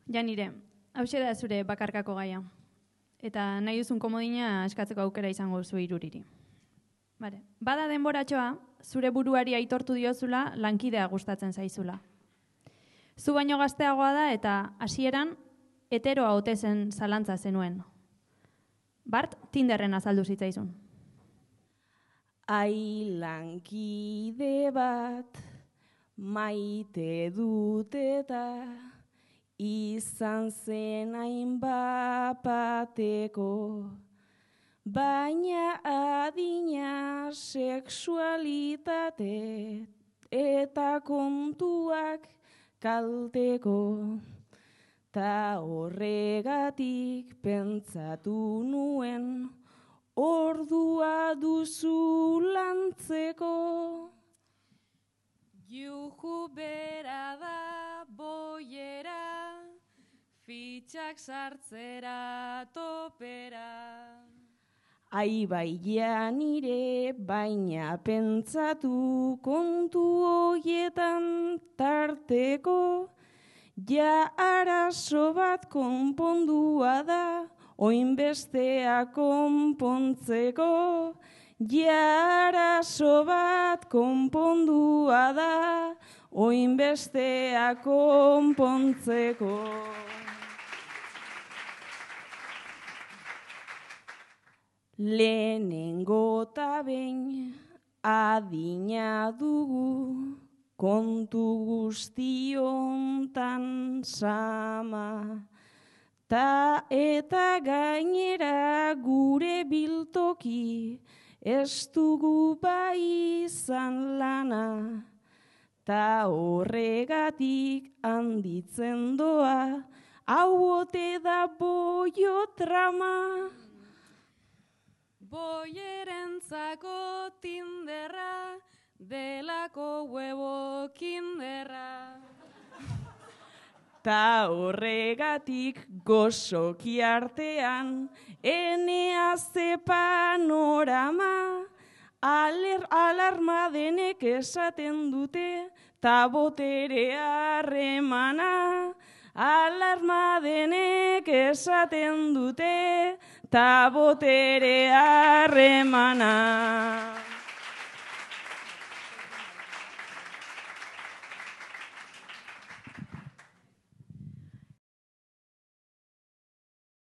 Janire, hauxe da zure bakarkako gaia. Eta nahi duzun komodina eskatzeko aukera izango zu iruriri. Bada denboratxoa, zure buruari aitortu diozula lankidea gustatzen zaizula. Zu baino gazteagoa da eta hasieran heteroa ote zen zalantza zenuen. Bart, Tinderren azaldu zitzaizun. Ai lankide bat maite dut eta izan zen hainbapateko, baina adina sexualitate eta kontuak kalteko. Ta horregatik pentsatu nuen ordua duzu lantzeko. Juju bera da boiera, fitxak sartzera topera. Ai baia nire baina pentsatu kontu hoietan tarteko, ja arazo bat konpondua da, oinbestea konpontzeko. Ja arazo bat konpondua da, oinbestea konpontzeko. Lehenengo ta behin adina dugu, kontu guztiontan sama. Ta eta gainera gure biltoki, ez dugu bai izan lana. Ta horregatik handitzen doa, hau ote da boio trama. Boierentzako Tinderra, delako huevo kinderra. Ta horregatik gozoki artean, enea ze panorama, alarma denek esaten dute, ta botere harremana. Alarma denek esaten dute, ta botere harremana.